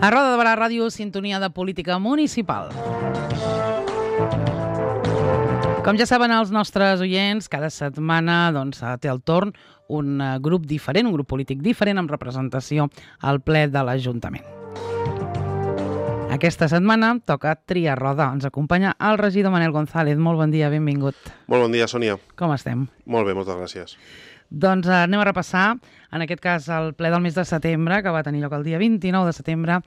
A Roda de Barà Ràdio, sintonia de política municipal. Com ja saben els nostres oients, cada setmana té el torn un grup diferent, un grup polític diferent amb representació al ple de l'Ajuntament. Aquesta setmana toca triar roda. Ens acompanya el regidor Manel González. Molt bon dia, benvingut. Molt bon dia, Sònia. Com estem? Molt bé, moltes gràcies. Doncs anem a repassar, en aquest cas, el ple del mes de setembre, que va tenir lloc el dia 29 de setembre,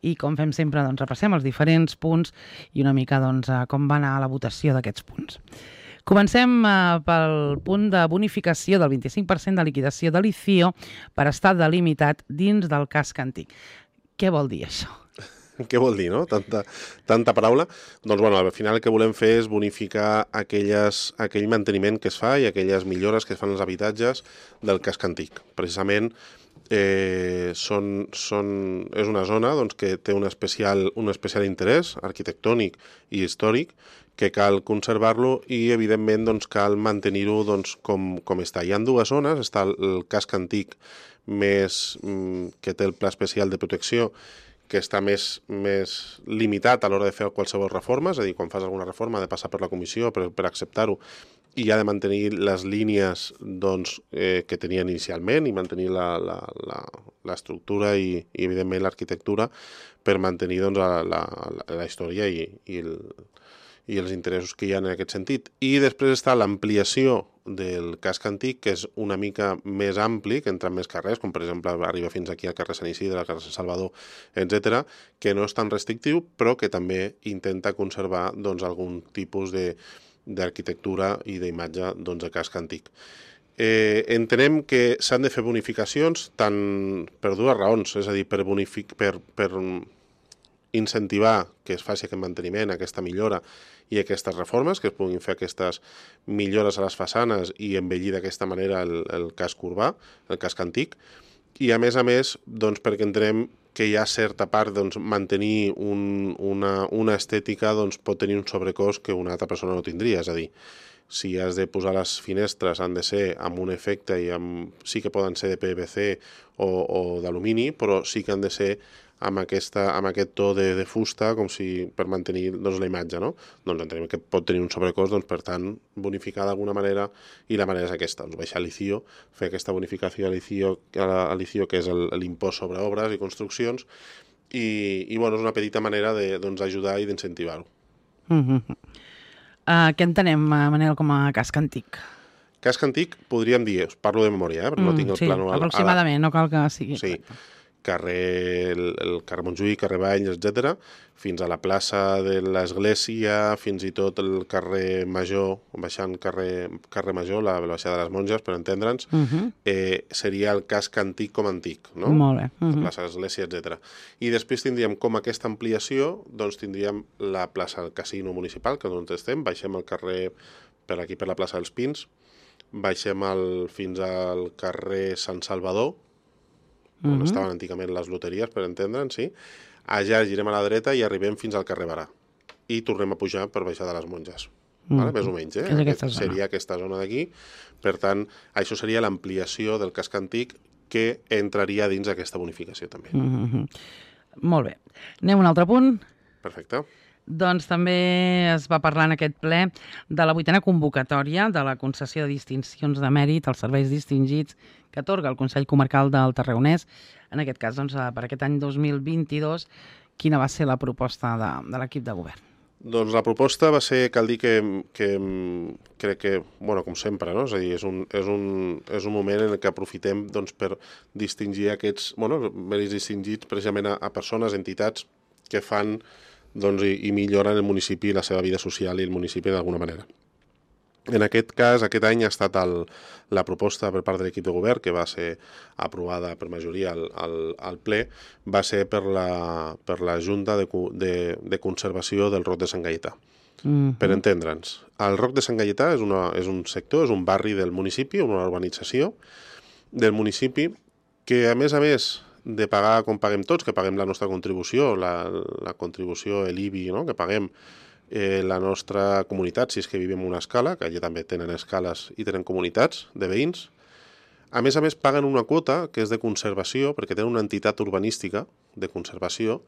i com fem sempre, repassem els diferents punts i una mica com va anar la votació d'aquests punts. Comencem pel punt de bonificació del 25% de liquidació de l'ICIO per estar delimitat dins del casc antic. Què vol dir això? Què vol dir, no? Tanta paraula. Doncs, al final el que volem fer és bonificar aquell manteniment que es fa i aquelles millores que es fan als habitatges del casc antic. Precisament és una zona que té un especial interès arquitectònic i històric que cal conservar-lo i, evidentment, cal mantenir-ho com està. Hi ha dues zones. Està el casc antic que té el pla especial de protecció, que està més limitat a l'hora de fer qualsevol reforma, és a dir, quan fas alguna reforma ha de passar per la comissió per acceptar-ho i ha de mantenir les línies que tenien inicialment i mantenir l'estructura i evidentment, l'arquitectura per mantenir la història i els interessos que hi ha en aquest sentit. I després està l'ampliació del casc antic, que és una mica més ampli, que entra en més carrers, com per exemple arriba fins aquí al carrer Sant Isidre, al carrer Sant Salvador, etc., que no és tan restrictiu, però que també intenta conservar algun tipus d'arquitectura i d'imatge de casc antic. Entenem que s'han de fer bonificacions per dues raons, és a dir, per incentivar que es faci aquest manteniment, aquesta millora i aquestes reformes, que es puguin fer aquestes millores a les façanes i embellir d'aquesta manera el casc urbà, el casc antic, i a més, perquè entenem que hi ha certa part, mantenir una estètica pot tenir un sobrecost que una altra persona no tindria, és a dir, si has de posar les finestres han de ser amb un efecte i sí que poden ser de PVC o d'alumini, però sí que han de ser amb aquest to de fusta com si per mantenir la imatge, no? Entenem que pot tenir un sobrecost, per tant, bonificar d'alguna manera, i la manera és aquesta, baixar l'ICIO, fer aquesta bonificació a l'ICIO, que és l'impost sobre obres i construccions, i és una petita manera d'ajudar i d'incentivar-ho. Què entenem, Manel, com a casc antic? Casc antic, podríem dir, us parlo de memòria, perquè no tinc el plànol. Sí, aproximadament, no cal que sigui. Sí, el carrer Montjuïc, carrer Valls, etc., fins a la plaça de l'Església, fins i tot el carrer Major, baixant carrer Major, la baixada de les Monges, per entendre'ns, seria el casc antic com antic, no? Molt bé. La plaça de l'Església, etc. I després tindríem com aquesta ampliació, tindríem la plaça del Casino Municipal, que és on estem, baixem el carrer per aquí, per la plaça dels Pins, baixem fins al carrer Sant Salvador, on estaven antigament les loteries, per entendre'ns, sí. Allà girem a la dreta i arribem fins al carrer Barà. I tornem a pujar per baixar de les Monges. Més o menys, seria aquesta zona d'aquí. Per tant, això seria l'ampliació del casc antic que entraria dins d'aquesta bonificació, també. Molt bé. Anem a un altre punt. Perfecte. Doncs també es va parlar en aquest ple de la 8a convocatòria de la concessió de distincions de mèrit als serveis distingits que atorga el Consell Comarcal del Tarragonès. En aquest cas, per aquest any 2022, quina va ser la proposta de l'equip de govern? Doncs la proposta va ser, cal dir que crec que, com sempre, no? És a dir, és un moment en què aprofitem per distingir aquests mèrits distingits precisament a persones, entitats que fan i milloren el municipi i la seva vida social i el municipi d'alguna manera. En aquest cas, aquest any ha estat la proposta per part de l'equip de govern, que va ser aprovada per majoria al ple, va ser per la Junta de Conservació del Roc de Sant Gaietà. Per entendre'ns, el Roc de Sant Gaietà és un sector, és un barri del municipi, una urbanització del municipi, que a més de pagar com paguem tots, que paguem la nostra contribució, la contribució, l'IBI, no? Que paguem la nostra comunitat, si és que vivim en una escala, que allà també tenen escales i tenen comunitats de veïns, A més, paguen una quota que és de conservació, perquè tenen una entitat urbanística de conservació,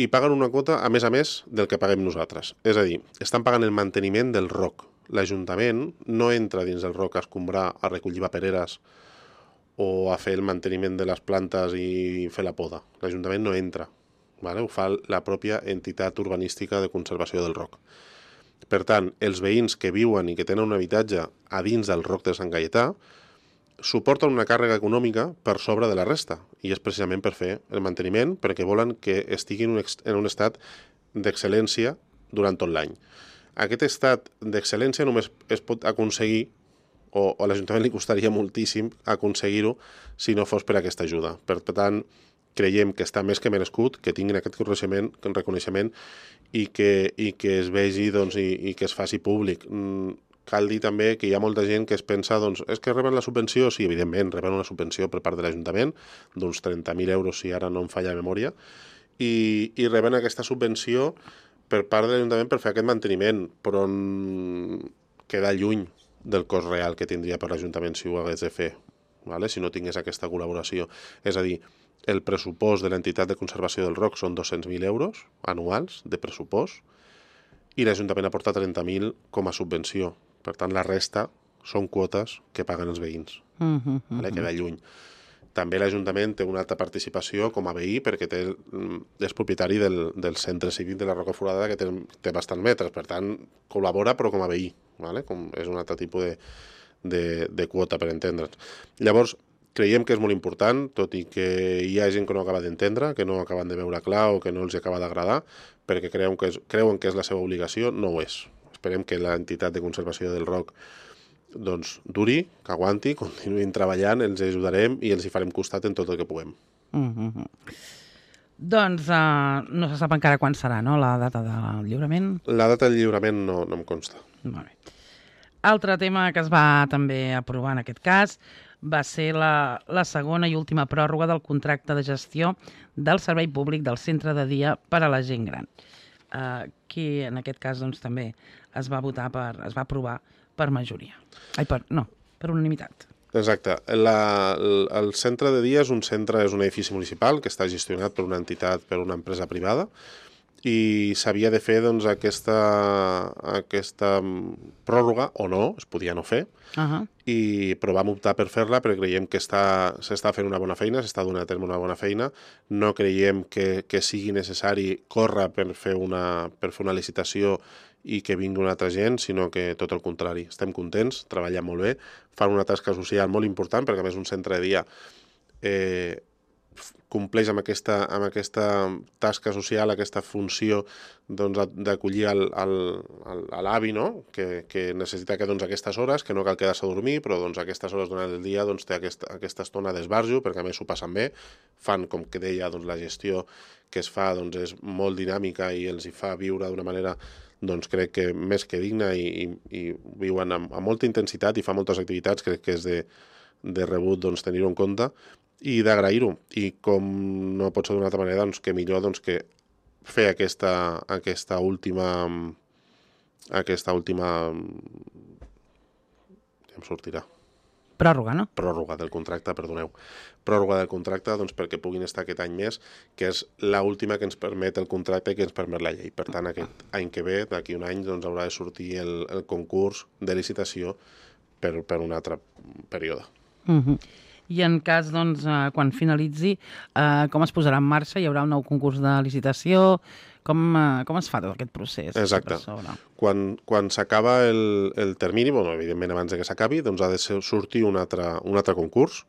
i paguen una quota, a més, del que paguem nosaltres. És a dir, estan pagant el manteniment del ROC. L'Ajuntament no entra dins del ROC a escombrar, a recollir papereres o a fer el manteniment de les plantes i fer la poda. L'Ajuntament no entra. Vale? Ho fa la pròpia entitat urbanística de conservació del ROC. Per tant, els veïns que viuen i que tenen un habitatge a dins del ROC de Sant Gaietà suporten una càrrega econòmica per sobre de la resta, i és precisament per fer el manteniment, perquè volen que estiguin en un estat d'excel·lència durant tot l'any. Aquest estat d'excel·lència només es pot aconseguir, o a l'Ajuntament li costaria moltíssim aconseguir-ho si no fos per aquesta ajuda. Per tant, creiem que està més que merescut, que tinguin aquest reconeixement i que es vegi doncs, i que es faci públic. Cal dir també que hi ha molta gent que es pensa, doncs, és que reben la subvenció? Sí, evidentment, reben una subvenció per part de l'Ajuntament, d'uns 30.000 euros, si ara no em falla la memòria, i reben aquesta subvenció per part de l'Ajuntament per fer aquest manteniment, però queda lluny del cost real que tindria per l'Ajuntament si ho hagués de fer, vale? Si no tingués aquesta col·laboració. És a dir, el pressupost de l'entitat de conservació del ROC són 200.000 euros anuals de pressupost i l'Ajuntament aporta 30.000 com a subvenció. Per tant, la resta són quotes que paguen els veïns. Vale? Queda lluny. També l'Ajuntament té una alta participació com a veí perquè és propietari del centre cívic de la Roca Foradada que té bastants metres. Per tant, col·labora però com a veí. Vale? És un altre tipus de quota, per entendre'ns. Llavors, creiem que és molt important, tot i que hi ha gent que no acaba d'entendre, que no acaben de veure clar o que no els acaba d'agradar, perquè creuen que és la seva obligació, no ho és. Esperem que l'entitat de conservació del ROC doncs, duri, que aguanti, continuïn treballant, els ajudarem i els hi farem costat en tot el que puguem. Doncs no se sap encara quan serà, no?, la data del lliurament? La data del lliurament no em consta. Molt bé. Altre tema que es va també aprovar en aquest cas va ser la segona i última pròrroga del contracte de gestió del servei públic del centre de dia per a la gent gran. Que en aquest cas doncs, també es va aprovar per majoria. Per unanimitat. Exacte. El centre de dia és un edifici municipal que està gestionat per una entitat, per una empresa privada, i s'havia de fer doncs, aquesta pròrroga, o no, es podia no fer, però vam optar per fer-la perquè creiem que s'està fent una bona feina, s'està donant a terme una bona feina, no creiem que sigui necessari córrer per fer una licitació i que vingui una altra gent, sinó que tot el contrari. Estem contents, treballen molt bé, fan una tasca social molt important, perquè a més un centre de dia compleix amb aquesta tasca social, aquesta funció doncs, d'acollir l'avi, no? que necessita que aquestes hores, que no cal quedar-se a dormir, però aquestes hores durant el dia doncs, té aquesta estona d'esbarjo, perquè a més s'ho passen bé, fan, com que deia, la gestió que es fa és molt dinàmica i els hi fa viure d'una manera crec que més que digna i viuen amb molta intensitat i fa moltes activitats, crec que és de rebut tenir-ho en compte i d'agrair-ho. I com no pot ser d'una altra manera, que millor que fer aquesta última ja em sortirà. Pròrroga, no? Pròrroga del contracte, perdoneu. Pròrroga del contracte perquè puguin estar aquest any més, que és l'última que ens permet el contracte i que ens permet la llei. Per tant, aquest any que ve, d'aquí un any, haurà de sortir el concurs de licitació per un altre període. I en cas, quan finalitzi, com es posarà en marxa? Hi haurà un nou concurs de licitació? Com es fa tot aquest procés? Exacte. Quan s'acaba el termini, evidentment abans que s'acabi, ha de sortir un altre concurs,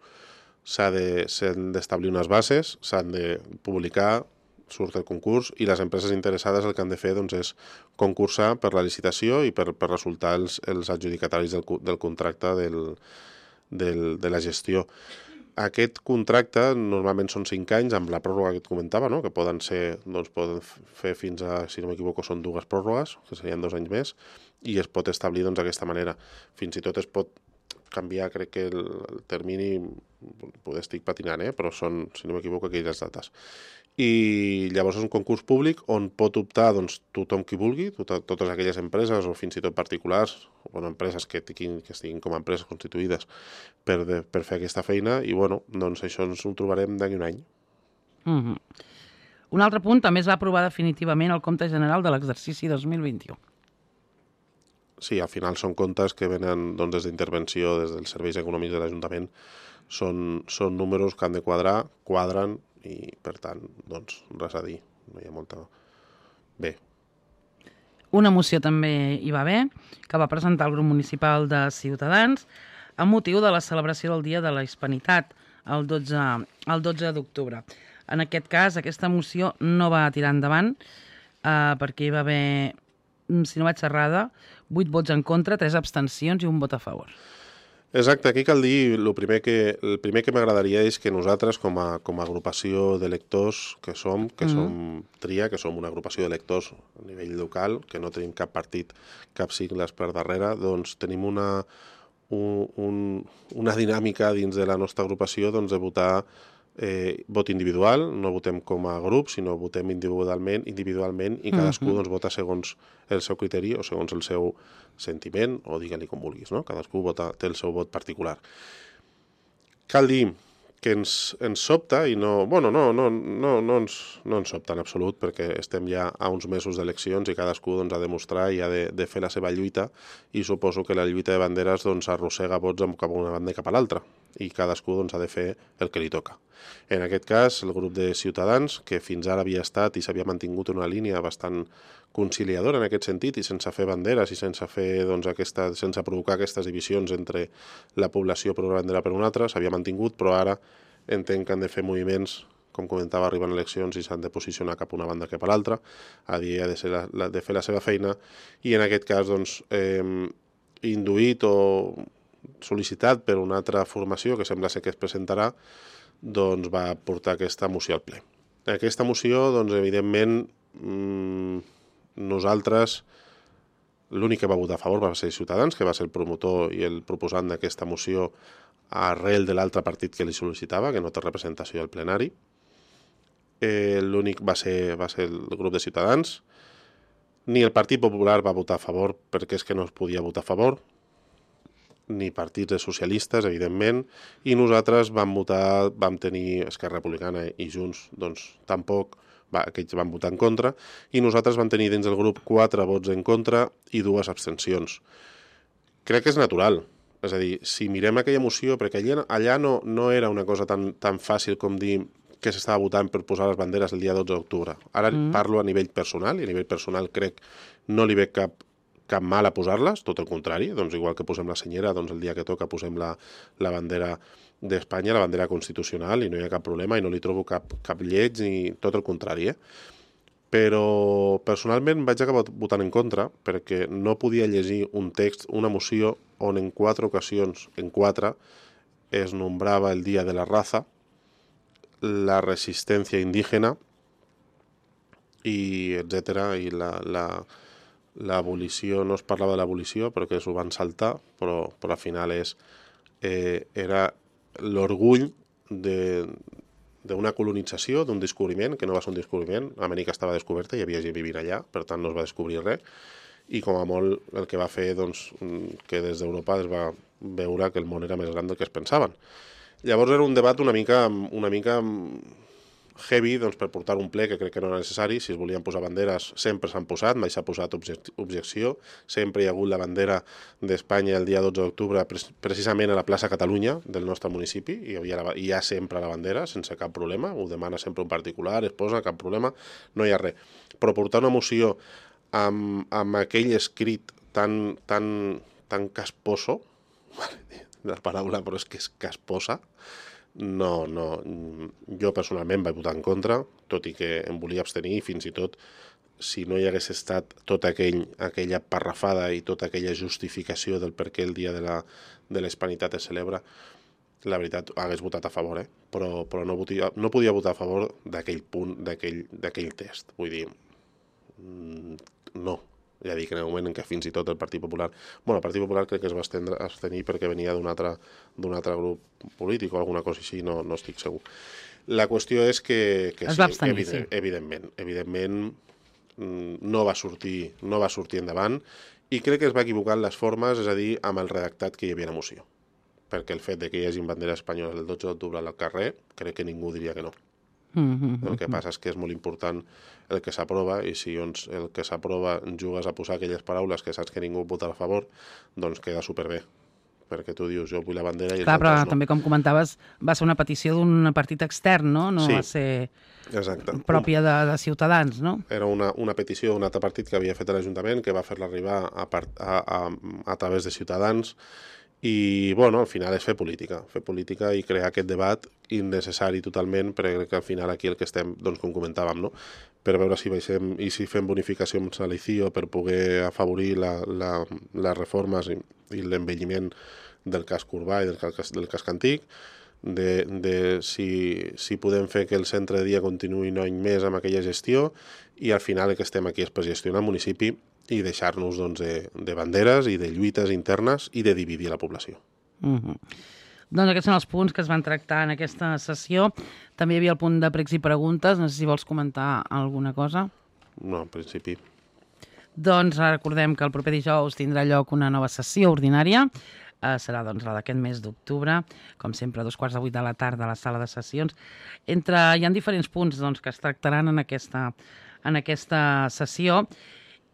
s'han d'establir unes bases, s'han de publicar, surt el concurs, i les empreses interessades el que han de fer és concursar per la licitació i per resultar els adjudicataris del contracte de la gestió. Aquest contracte normalment són 5 anys amb la pròrroga que et comentava, no? Que poden fer fins a, si no m'equivoco, són 2 pròrrogues, que serien 2 anys més, i es pot establir d'aquesta manera. Fins i tot es pot canviar, crec que el termini, poder estic patinant, però són, si no m'equivoco, aquelles dates. I llavors és un concurs públic on pot optar doncs, tothom qui vulgui, totes aquelles empreses o fins i tot particulars, o empreses que estiguin com a empreses constituïdes per fer aquesta feina, i bueno, doncs això ens ho trobarem d'aquí un any. Un altre punt, també es va aprovar definitivament el compte general de l'exercici 2021. Sí, al final són comptes que venen doncs, des d'intervenció, des dels serveis econòmics de l'Ajuntament, són números que han de quadren, i per tant, doncs, res a dir, no hi ha molta... Bé. Una moció també hi va haver, que va presentar el grup municipal de Ciutadans amb motiu de la celebració del Dia de la Hispanitat, el 12 d'octubre. En aquest cas, aquesta moció no va tirar endavant perquè hi va haver, si no vaig errada, 8 vots en contra, 3 abstencions i 1 vot a favor. Exacte, aquí cal dir, el primer que m'agradaria és que nosaltres, com a agrupació de lectors que som TRIA, que som una agrupació de lectors a nivell local, que no tenim cap partit, cap sigles per darrere, doncs tenim una dinàmica dins de la nostra agrupació doncs, de votar vot individual, no votem com a grup, sinó votem individualment i cadascú doncs, vota segons el seu criteri o segons el seu sentiment, o digue-li com vulguis, no? Cadascú té el seu vot particular. Cal dir que ens sobta, i no ens sobta en absolut, perquè estem ja a uns mesos d'eleccions i cadascú doncs, ha de mostrar i ha de fer la seva lluita, i suposo que la lluita de banderes doncs, arrossega vots cap a una banda i cap a l'altra, i cadascú doncs, ha de fer el que li toca. En aquest cas, el grup de Ciutadans, que fins ara havia estat i s'havia mantingut una línia bastant conciliadora en aquest sentit, i sense fer banderes i sense provocar aquestes divisions entre la població per una bandera per una altra, s'havia mantingut, però ara entenc que han de fer moviments, com comentava, arriben eleccions i s'han de posicionar cap a una banda que per l'altra, ha de fer la seva feina, i en aquest cas, doncs, induït o sol·licitat per una altra formació que sembla ser que es presentarà, doncs va portar aquesta moció al ple. Aquesta moció, doncs, evidentment, nosaltres, l'únic que va votar a favor va ser Ciutadans, que va ser el promotor i el proposant d'aquesta moció arrel de l'altre partit que li sol·licitava, que no té representació al plenari. L'únic va ser el grup de Ciutadans. Ni el Partit Popular va votar a favor perquè és que no es podia votar a favor, ni partits de socialistes, evidentment, i nosaltres vam tenir Esquerra Republicana i Junts, doncs tampoc, aquests van votar en contra, i nosaltres vam tenir dins del grup 4 vots en contra i 2 abstencions. Crec que és natural, és a dir, si mirem aquella moció, perquè allà no era una cosa tan fàcil com dir que s'estava votant per posar les banderes el dia 12 d'octubre. Ara parlo a nivell personal, i a nivell personal crec no li veig cap mal a posar-les, tot el contrari, doncs igual que posem la senyera, doncs el dia que toca posem la bandera d'Espanya, la bandera constitucional, i no hi ha cap problema, i no li trobo cap lleig, ni tot el contrari, Però personalment vaig acabar votant en contra, perquè no podia llegir un text, una moció, on en 4 ocasions, es nombrava el Dia de la Raza, la resistència indígena, i etcètera, i l'abolició, no es parlava de l'abolició, però que s'ho van saltar, però al final era l'orgull d'una colonització, d'un descobriment, que no va ser un descobriment, Amèrica estava descoberta, hi havia gent vivint allà, per tant no es va descobrir res, i com a molt el que va fer doncs, que des d'Europa es va veure que el món era més gran del que es pensaven. Llavors era un debat una mica heavy, doncs, per portar un ple que crec que no era necessari. Si es volien posar banderes, sempre s'han posat, mai s'ha posat objecció. Sempre hi ha hagut la bandera d'Espanya el dia 12 d'octubre, precisament a la plaça Catalunya del nostre municipi, i hi ha sempre la bandera, sense cap problema. Ho demana sempre un particular, es posa, cap problema, no hi ha res. Però portar una moció amb aquell escrit tan casposo, la paraula, però és que és casposa, no, jo personalment vaig votar en contra, tot i que em volia abstenir, i fins i tot, si no hi hagués estat tota aquella parrafada i tota aquella justificació del per què el dia de la Hispanitat es celebra, la veritat, hagués votat a favor, però no podia votar a favor d'aquell punt, d'aquell test. Vull dir, no. Ja dic, en el moment en què fins i tot el Partit Popular... Bueno, el Partit Popular crec que es va abstenir perquè venia d'un altre grup polític o alguna cosa així, no estic segur. La qüestió és que es va abstenir, sí. Evidentment no va sortir endavant, i crec que es va equivocar en les formes, és a dir, amb el redactat que hi havia a la moció. Perquè el fet de que hi hagi banderes espanyoles el 12 d'octubre al carrer, crec que ningú diria que no. El que passa és que és molt important el que s'aprova, i si el que s'aprova jugues a posar aquelles paraules que saps que ningú votarà a favor, doncs queda superbé. Perquè tu dius, jo vull la bandera i els Clar, però altres no. també, com comentaves, va ser una petició d'un partit extern, no? No Sí, va ser exacte. pròpia de Ciutadans, no? Era una petició d'un altre partit que havia fet a l'Ajuntament, que va fer-la arribar a través de Ciutadans, i, bueno, al final és fer política i crear aquest debat innecessari totalment, perquè crec que al final aquí el que estem, doncs, com comentàvem, no? Per veure si baixem i si fem bonificacions a l'ICIO per poder afavorir les reformes i l'envelliment del casc urbà i del casc antic, de si podem fer que el centre de dia continuï un any més amb aquella gestió, i al final el que estem aquí és per gestionar el municipi i deixar-nos, doncs, de banderes i de lluites internes i de dividir la població. Doncs aquests són els punts que es van tractar en aquesta sessió. També hi havia el punt de pregs i preguntes. No sé si vols comentar alguna cosa. No, en principi. Doncs recordem que el proper dijous tindrà lloc una nova sessió ordinària. Serà, doncs, la d'aquest mes d'octubre, com sempre, a 2:15 de la tarda a la sala de sessions. Hi ha diferents punts, doncs, que es tractaran en aquesta sessió,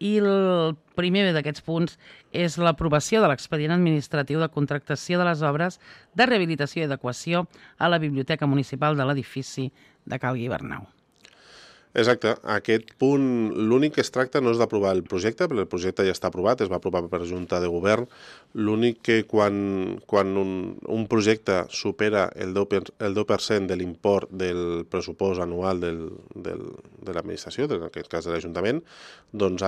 i el primer d'aquests punts és l'aprovació de l'expedient administratiu de contractació de les obres de rehabilitació i adequació a la Biblioteca Municipal de l'edifici de Cal Guibernau. Exacte. Aquest punt, l'únic que es tracta no és d'aprovar el projecte, perquè el projecte ja està aprovat, es va aprovar per Junta de Govern. L'únic que quan un projecte supera el 10% de l'import del pressupost anual de l'administració, en aquest cas de l'Ajuntament, doncs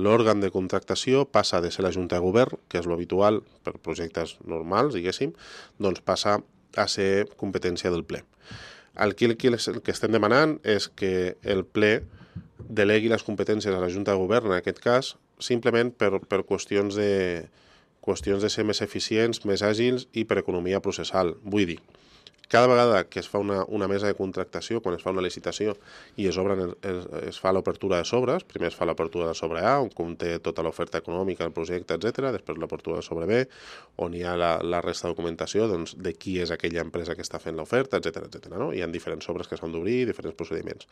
l'òrgan de contractació passa de ser la Junta de Govern, que és l'habitual per projectes normals, diguéssim, doncs passa a ser competència del ple. Aquí el que estem demanant és que el ple delegui les competències a la Junta de Govern, en aquest cas, simplement per qüestions de ser més eficients, més àgils i per economia processal. Vull dir, cada vegada que es fa una mesa de contractació, quan es fa una licitació i es fa l'obertura de sobres, primer es fa l'obertura de sobre A, on conté tota l'oferta econòmica, el projecte, etc. Després l'obertura de sobre B, on hi ha la resta de documentació, doncs, de qui és aquella empresa que està fent l'oferta, etc. No? Hi ha diferents sobres que s'han d'obrir, diferents procediments.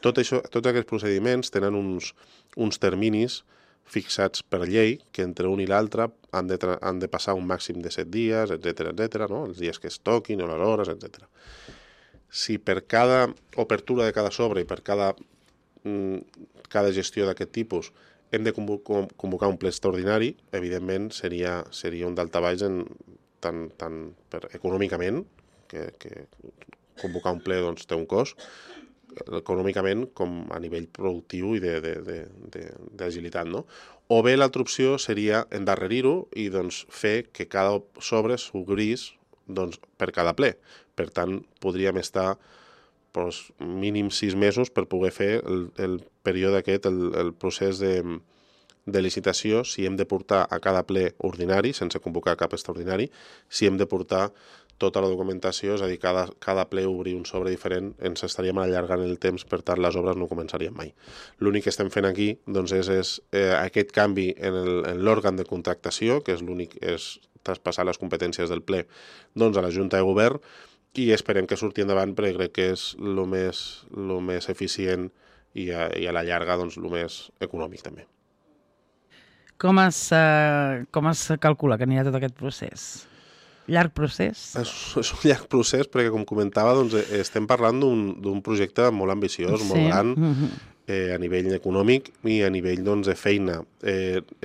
Tots aquests procediments tenen uns terminis fixats per llei, que entre un i l'altre han de passar un màxim de 7 dies, etc., no? Els dies que es toquin o les hores, etc. Si per cada obertura de cada sobre i per cada gestió d'aquest tipus hem de convocar un ple extraordinari, evidentment seria un daltabaix tant econòmicament, que convocar un ple, doncs, té un cost, econòmicament com a nivell productiu i d'agilitat, no? O bé l'altra opció seria endarrerir-ho i, doncs, fer que cada sobre s'obrís, doncs, per cada ple. Per tant, podríem estar mínim 6 mesos per poder fer el període aquest, el procés de licitació, si hem de portar a cada ple ordinari, sense convocar cap extraordinari, si hem de portar tota la documentació, és a dir, cada ple obrir un sobre diferent, ens estaríem allargant el temps, per tant les obres no començarien mai. L'únic que estem fent aquí, doncs, és aquest canvi en l'òrgan de contractació, que és l'únic, és traspassar les competències del ple, doncs, a la Junta de Govern, i esperem que surti endavant, perquè crec que és el més eficient i a la llarga, doncs, el més econòmic també. Com es calcula que anirà tot aquest procés? Llarg procés? És un llarg procés perquè, com comentava, doncs, estem parlant d'un projecte molt ambiciós, molt gran, a nivell econòmic i a nivell, doncs, de feina.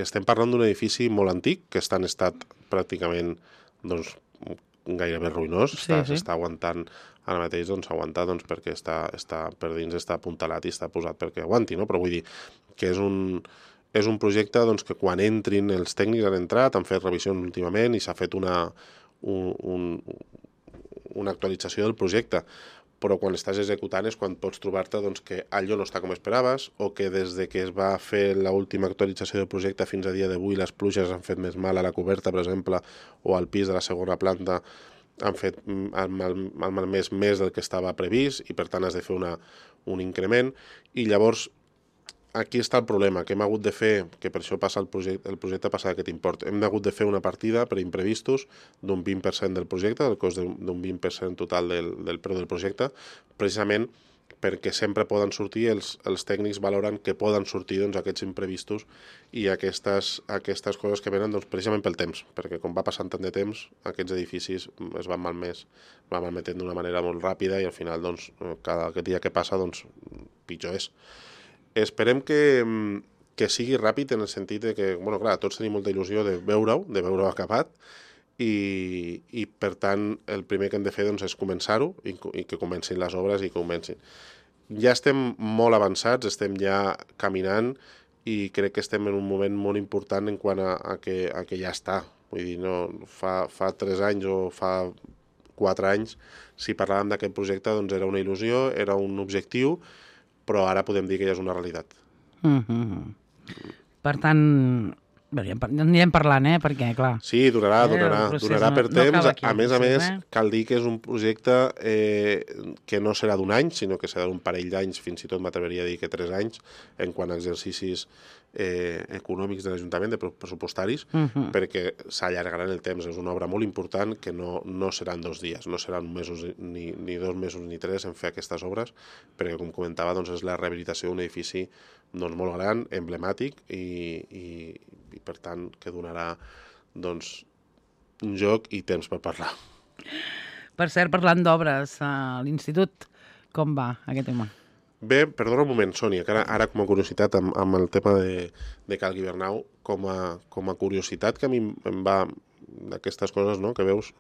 Estem parlant d'un edifici molt antic, que està en estat pràcticament, doncs, gairebé ruïnós. S'està aguantant, ara mateix s'aguanta, doncs, perquè per dins està apuntalat i està posat perquè aguanti, no? Però vull dir que és un projecte, doncs, que quan entrin els tècnics han entrat, han fet revisions últimament i s'ha fet una actualització del projecte, però quan estàs executant és quan pots trobar-te doncs, que allò no està com esperaves, o que des de que es va fer l'última actualització del projecte fins a dia d'avui les pluges han fet més mal a la coberta, per exemple, o al pis de la segona planta han fet malmès més del que estava previst i per tant has de fer un increment, i llavors aquí està el problema, que hem hagut de fer, que per això passa el projecte passa aquest import, hem hagut de fer una partida per imprevistos d'un 20% del projecte, del cost d'un 20% total del preu del projecte, precisament perquè sempre poden sortir, els tècnics valoren que poden sortir doncs, aquests imprevistos i aquestes coses que venen doncs, precisament pel temps, perquè com va passant tant de temps, aquests edificis es van malmetent d'una manera molt ràpida i al final doncs, cada dia que passa doncs, pitjor és. Esperem que sigui ràpid en el sentit de que, bueno, clar, tots tenim molta il·lusió de veure-ho acabat i per tant el primer que hem de fer doncs, és començar-ho i que comencin les obres i comencin. Ja estem molt avançats, estem ja caminant i crec que estem en un moment molt important en quant a que ja està. Vull dir, no, fa 3 anys o fa 4 anys, si parlàvem d'aquest projecte, doncs era una il·lusió, era un objectiu, però ara podem dir que ja és una realitat. Per tant, anirem parlant, perquè, clar... Sí, durarà per temps. A més, cal dir que és un projecte que no serà d'un any, sinó que serà d'un parell d'anys, fins i tot m'atreveria a dir que 3 anys, en quant a exercicis econòmics de l'Ajuntament, de pressupostaris, perquè s'allargarà en el temps. És una obra molt important que no seran 2 dies, no seran mesos, ni 2 mesos ni 3 en fer aquestes obres, perquè, com comentava, doncs, és la rehabilitació d'un edifici doncs, molt gran, emblemàtic i per tant que donarà doncs, un joc i temps per parlar. Per cert, parlant d'obres, a l'institut, com va aquest tema? Bé, perdona un moment, Sònia, que ara com a curiositat amb el tema de Cal Guibernau, com a curiositat que a mi em va d'aquestes coses, no?, que veus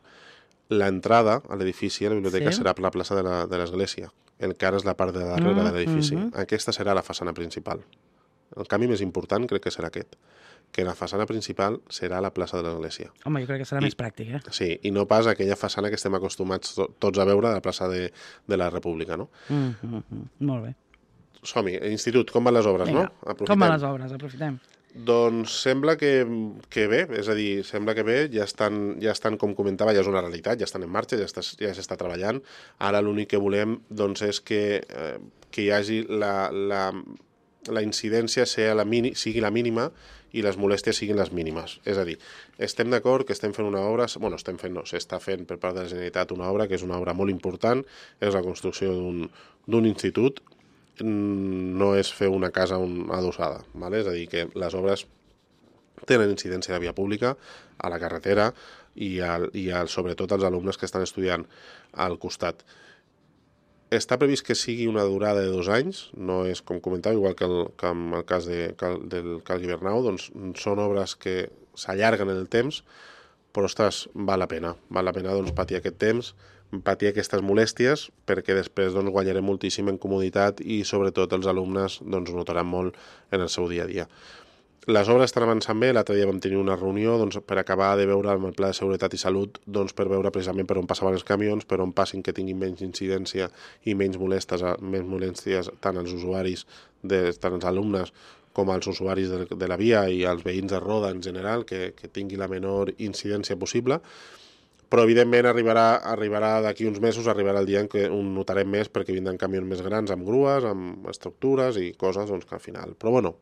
l'entrada a l'edifici, a la biblioteca, serà per la plaça de l'església, el que ara és la part de darrere de l'edifici. Aquesta serà la façana principal. El canvi més important crec que serà aquest, que la façana principal serà la plaça de l'església. Home, jo crec que serà més pràctic, Sí, i no pas aquella façana que estem acostumats tots a veure de la plaça de la República, no? Molt bé. Som-hi, institut, com van les obres, no? Com van les obres? Aprofitem. Doncs sembla que bé, és a dir, sembla que bé, ja estan, com comentava, ja és una realitat, ja estan en marxa, ja s'està treballant. Ara l'únic que volem doncs, és que hi hagi la incidència sigui la mínima i les molèsties siguin les mínimes. És a dir, estem d'acord que estem fent una obra, bueno, s'està fent per part de la Generalitat una obra que és una obra molt important, és la construcció d'un institut, no és fer una casa adossada, és a dir, que les obres tenen incidència a la via pública, a la carretera i sobretot als alumnes que estan estudiant al costat. Està previst que sigui una durada de 2 anys, no és, com comentava, igual que en el cas del Cal Guibernau, doncs són obres que s'allarguen en el temps, però, ostres, val la pena doncs, patir aquest temps, patir aquestes molèsties, perquè després doncs, guanyarem moltíssim en comoditat i sobretot els alumnes doncs, ho notaran molt en el seu dia a dia. Les obres estan avançant bé, l'altre dia vam tenir una reunió doncs, per acabar de veure amb el Pla de Seguretat i Salut doncs, per veure precisament per on passaven els camions, per on passin que tinguin menys incidència i menys molèsties tant als usuaris, tant als alumnes com als usuaris de la via i als veïns de Roda en general, que tingui la menor incidència possible. Però, evidentment, arribarà d'aquí uns mesos, arribarà el dia en què ho notarem més perquè vindran camions més grans amb grues, amb estructures i coses doncs, que al final... Però, bueno,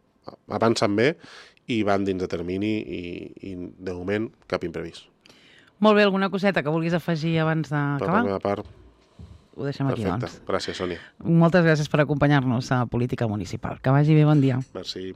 avancen bé i van dins de termini i de moment, cap imprevist. Molt bé, alguna coseta que vulguis afegir abans d'acabar? Per la meva part, ho deixem aquí, perfecte. doncs. Gràcies, Sònia. Moltes gràcies per acompanyar-nos a Política Municipal. Que vagi bé, bon dia. Merci.